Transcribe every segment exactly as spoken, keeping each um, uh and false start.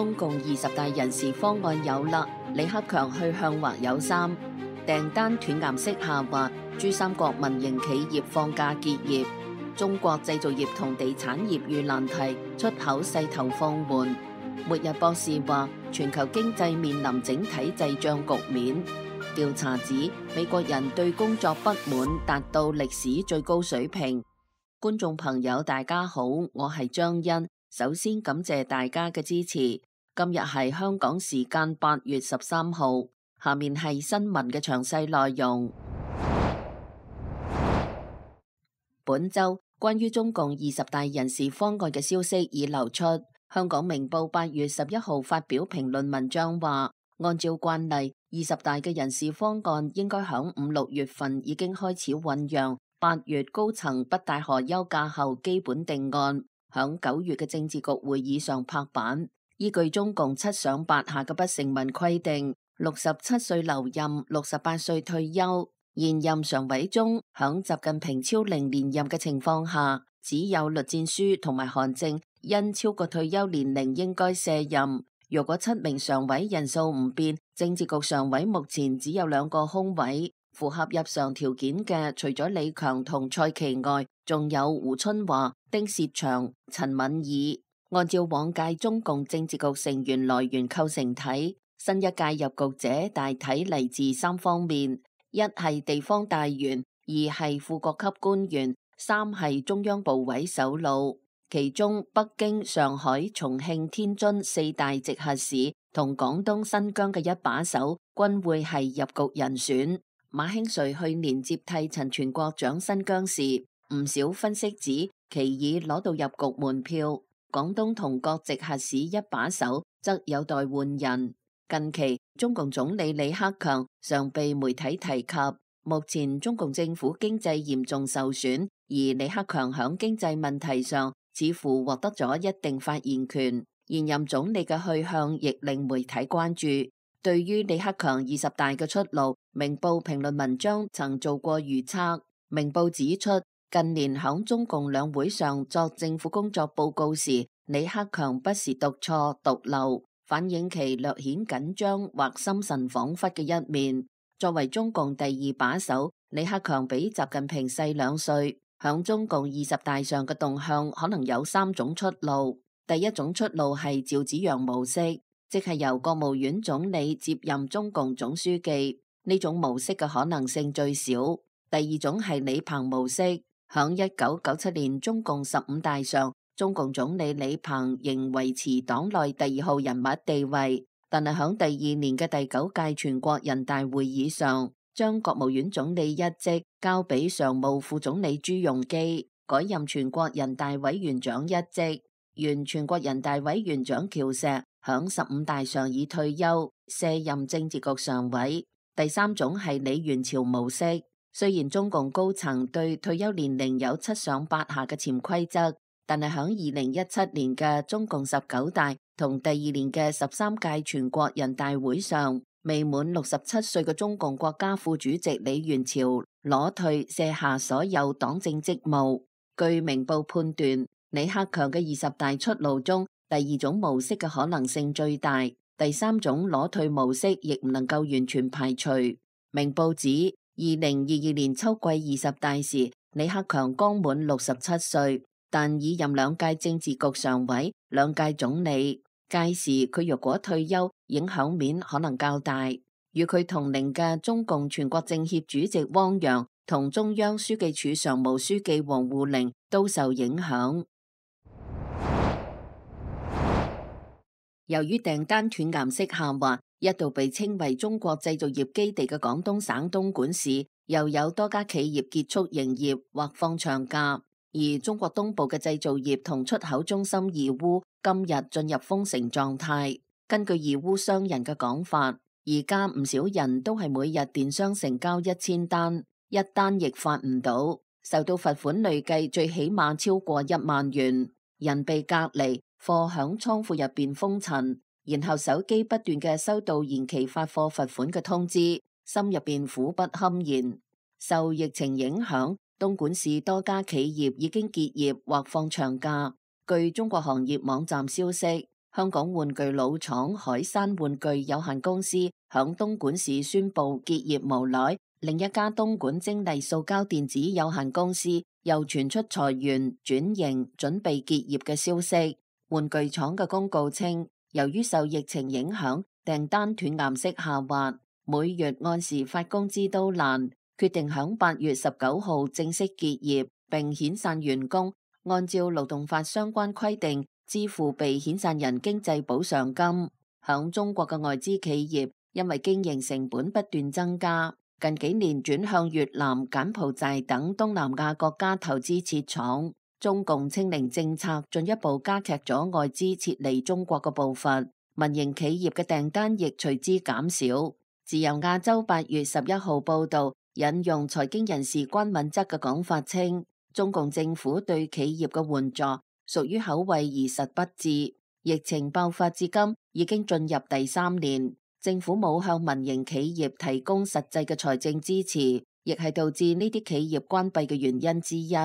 中共二十大人事方案有啦，李克強去向或有三，訂單斷崖式下滑，珠三角民營企業放假結業，中國製造業同地產業遇難題，出口勢頭放緩。末日博士話，全球經濟面臨整體滯脹局面。調查指美國人對工作不滿達到歷史最高水平。觀眾朋友大家好，我係張欣，首先感謝大家嘅支持。今日係香港時間八月十三號，下面係新聞嘅詳細內容。本周關於中共二十大人事方案嘅消息已流出。香港明報八月十一號發表評論文章話，按照慣例，二十大嘅人事方案應該響五六月份已經開始醞釀，八月高層北戴河休假後基本定案，響九月嘅政治局會議上拍板。依據中共七上八下嘅不成文規定，六十七歲留任，六十八歲退休。現任常委中，響習近平超齡連任嘅情況下，只有栗戰書同埋韓正因超過退休年齡應該卸任。若果七名常委人數唔變，政治局常委目前只有兩個空位，符合入常條件嘅除咗李強同蔡奇外，仲有胡春華、丁薛祥、陳敏爾。按照往屆中共政治局成員來源構成體，新一屆入局者大體嚟自三方面：一係地方大員，二係副國級官員，三係中央部委首腦。其中北京、上海、重慶、天津四大直轄市同廣東、新疆嘅一把手均會係入局人選。馬興瑞去年接替陳全國掌新疆時，唔少分析指其已攞到入局門票。廣東同各直轄市一把手則有待換人。近期中共總理李克強常被媒體提及，目前中共政府經濟嚴重受損，而李克強響經濟問題上似乎獲得咗一定發言權。現任總理嘅去向亦令媒體關注。對於李克強二十大嘅出路，明報評論文章曾做過預測。明報指出，近年響中共兩會上作政府工作報告時，李克強不時讀錯讀漏，反映其略顯緊張或心神恍惚嘅一面。作為中共第二把手，李克強比習近平細兩歲，響中共二十大上嘅動向可能有三種出路。第一種出路係趙紫陽模式，即係由國務院總理接任中共總書記，呢種模式嘅可能性最少。第二種係李鵬模式。響一九九七年中共十五大上，中共總理李鵬仍維持黨內第二號人物地位，但係響第二年嘅第九屆全國人大會議上，將國務院總理一職交俾常務副總理朱鎔基，改任全國人大委員長一職。原全國人大委員長喬石響十五大上已退休，卸任政治局常委。第三種係李元朝模式。雖然中共高層對退休年齡有七上八下嘅潛規則，但係響二零一七年嘅中共十九大同第二年嘅十三屆全國人大會上，未滿六十七歲嘅中共國家副主席李元朝裸退卸下所有黨政職務。據明報判斷，李克強嘅二十大出路中，第二種模式嘅可能性最大，第三種裸退模式亦唔能夠完全排除。明報指，二零二二年秋季二十大時，李克強剛滿六十七歲，但已任兩屆政治局常委、兩屆總理。屆時佢若果退休，影響面可能較大。與佢同齡嘅中共全國政協主席汪洋同中央書記處常務書記王滬寧都受影響。由於訂單斷崖式下滑，一度被稱為中國製造業基地嘅廣東省東莞市，又有多家企業結束營業或放長假。而中國東部嘅製造業同出口中心義烏今日進入封城狀態。根據義烏商人嘅講法，而家唔少人都係每日電商成交一千單，一單亦發唔到，受到罰款累計最起碼超過一萬元，人被隔離，貨響倉庫入邊封塵，然後手機不斷嘅收到延期發貨罰款嘅通知，心入邊苦不堪言。受疫情影響，東莞市多家企業已經結業或放長假。據中國行業網站消息，香港玩具老廠海山玩具有限公司響東莞市宣布結業無奈，另一家東莞精麗塑膠電子有限公司又傳出裁員、轉型、準備結業嘅消息。玩具廠嘅公告稱，由於受疫情影響，訂單斷崖式下滑，每月按時發工資都難，決定響八月十九號正式結業，並遣散員工，按照勞動法相關規定支付被遣散人經濟補償金。響中國嘅外資企業因為經營成本不斷增加，近幾年轉向越南、柬埔寨等東南亞國家投資設廠。中共清零政策進一步加劇咗外資撤離中國嘅步伐，民營企業嘅訂單亦隨之減少。自由亞洲八月十一號報道，引用財經人士關敏則嘅講法稱，中共政府對企業嘅援助屬於口惠而實不至。疫情爆發至今已經進入第三年，政府冇向民營企業提供實際嘅財政支持，亦係導致呢啲企業關閉嘅原因之一。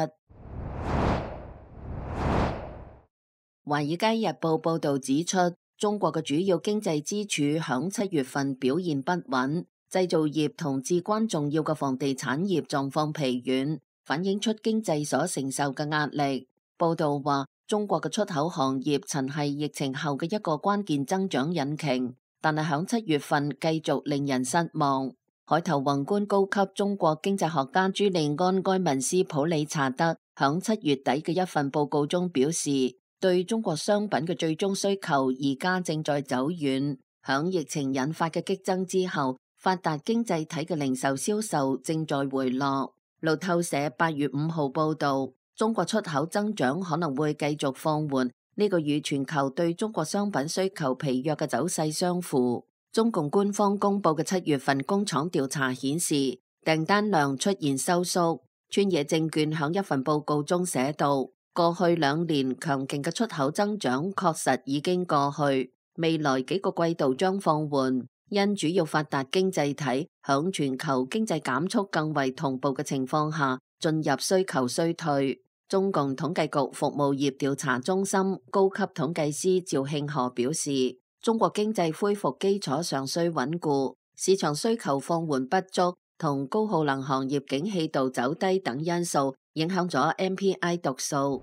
《華爾街日報》報道指出，中國嘅主要經濟支柱響七月份表現不穩，製造業同至關重要嘅房地產業狀況疲軟，反映出經濟所承受嘅壓力。報道話，中國嘅出口行業曾係疫情後嘅一個關鍵增長引擎，但係響七月份繼續令人失望。海頭宏觀高級中國經濟學家朱利安·埃文斯普里查德響七月底嘅一份報告中表示，對中國商品嘅最終需求而家正在走遠。響疫情引發嘅激增之後，發達經濟體嘅零售銷售正在回落。路透社八月五號報道，中國出口增長可能會繼續放緩，呢個與全球對中國商品需求疲弱嘅走勢相符。中共官方公布嘅七月份工廠調查顯示，訂單量出現收縮。川野證券響一份報告中寫道，過去兩年強勁嘅出口增長確實已經過去，未來幾個季度將放緩，因主要發達經濟體響全球經濟減速更為同步嘅情況下，進入需求衰退。中共統計局服務業調查中心高級統計師趙慶河表示，中國經濟恢復基礎尚需穩固，市場需求放緩不足同高耗能行業景氣度走低等因素影響咗 M P I 讀數。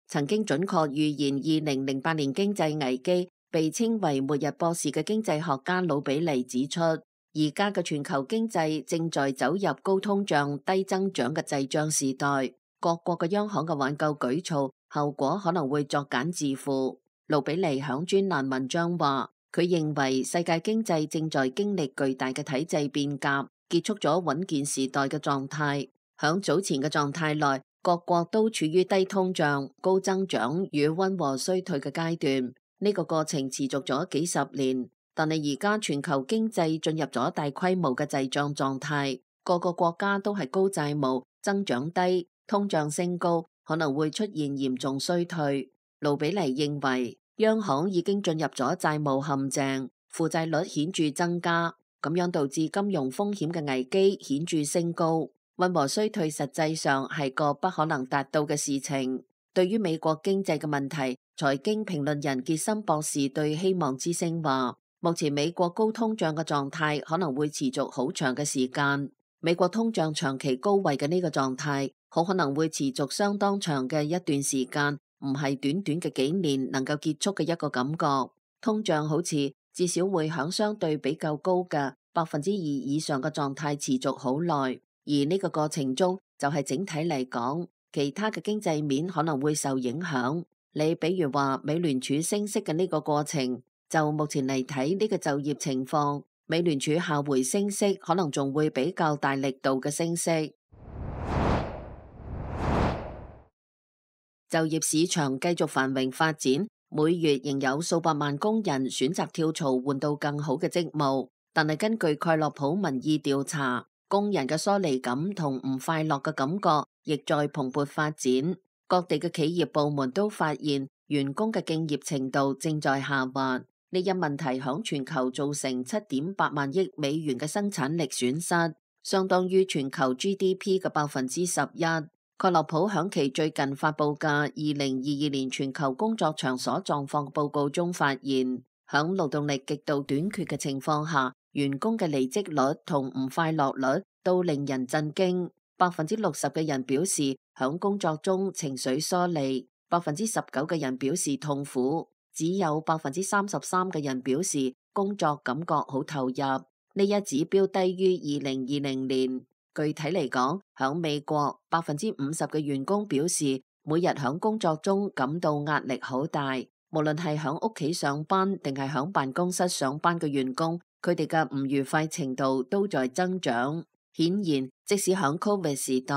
曾經準確預言二零零八年經濟危機，被稱為末日博士嘅經濟學家魯比尼指出，而家嘅全球經濟正在走入高通脹、低增長嘅滯脹時代，各國嘅央行嘅挽救舉措後果可能會作繭自負。魯比尼響專欄文章話，佢認為世界經濟正在經歷巨大嘅體制變革，結束咗穩健時代嘅狀態。響早前嘅狀態內，各國都處於低通脹、高增長與溫和衰退嘅階段，呢個過程持續咗幾十年。但係而家全球經濟進入咗大規模嘅滯脹狀態，各個國家都係高債務、增長低、通脹升高，可能會出現嚴重衰退。盧比尼認為，央行已經進入咗債務陷阱，負債率顯著增加，咁樣導致金融風險嘅危機顯著升高。溫和衰退實際上係個不可能達到嘅事情。對於美國經濟嘅問題，財經評論人傑森博士對希望之聲話，目前美國高通脹嘅狀態可能會持續好長嘅時間。美國通脹長期高位嘅呢個狀態，好可能會持續相當長嘅一段時間，唔係短短嘅幾年能夠結束嘅一個感覺。通脹好似至少會響相對比較高嘅百分之二以上嘅狀態持續好耐。而呢個過程中，就係整體嚟講，其他嘅經濟面可能會受影響。你比如話美聯儲升息嘅呢個過程，就目前嚟睇呢個就業情況，美聯儲下回升息可能仲會比較大力度嘅升息。就業市場繼續繁榮發展，每月仍有數百萬工人選擇跳槽換到更好嘅職務，但係根據蓋洛普民意調查，工人嘅疏離感同唔快樂嘅感覺亦在蓬勃發展。各地嘅企業部門都發現員工嘅敬業程度正在下滑。呢一問題響全球造成七點八萬億美元嘅生產力損失，相當於全球 G D P 嘅百分之十一。蓋洛普響其最近發佈嘅二零二二年全球工作場所狀況報告中發現，響勞動力極度短缺嘅情況下，員工嘅離職率同唔快樂率都令人震驚。百分之六十嘅人表示響工作中情緒疏離，百分之十九嘅人表示痛苦，只有百分之三十三嘅人表示工作感覺好投入。呢一指標低於二零二零年。具體嚟講，響美國，百分之五十嘅員工表示每日響工作中感到壓力好大。無論係響屋企上班定係響辦公室上班嘅員工，佢哋嘅唔愉快程度都在增長。顯然，即使響 Covid 時代，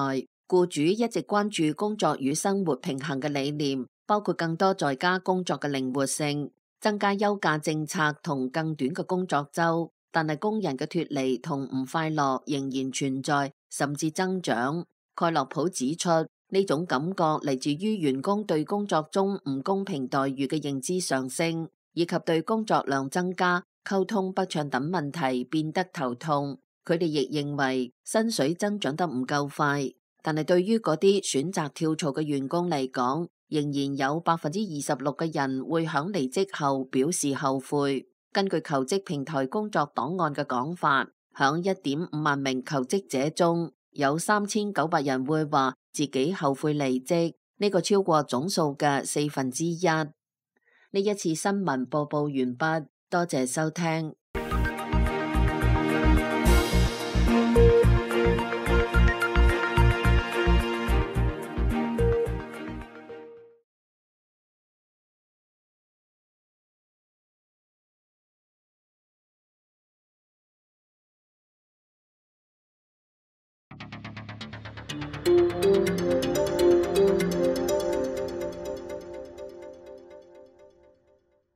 僱主一直關注工作與生活平衡嘅理念，包括更多在家工作嘅靈活性、增加休假政策同更短嘅工作周。但係工人嘅脫離同唔快樂仍然存在，甚至增長。蓋洛普指出，呢種感覺嚟自於員工對工作中唔公平待遇嘅認知上升，以及對工作量增加、溝通不暢等問題變得頭痛。佢哋亦認為薪水增長得唔夠快，但係對於嗰啲選擇跳槽嘅員工嚟講，仍然有百分之二十六嘅人會響離職後表示後悔。根據求職平台工作檔案嘅講法，響一點五萬名求職者中，有三千九百人會話自己後悔離職，呢個超過總數嘅四分之一。呢一次新聞播報完畢，多謝收聽。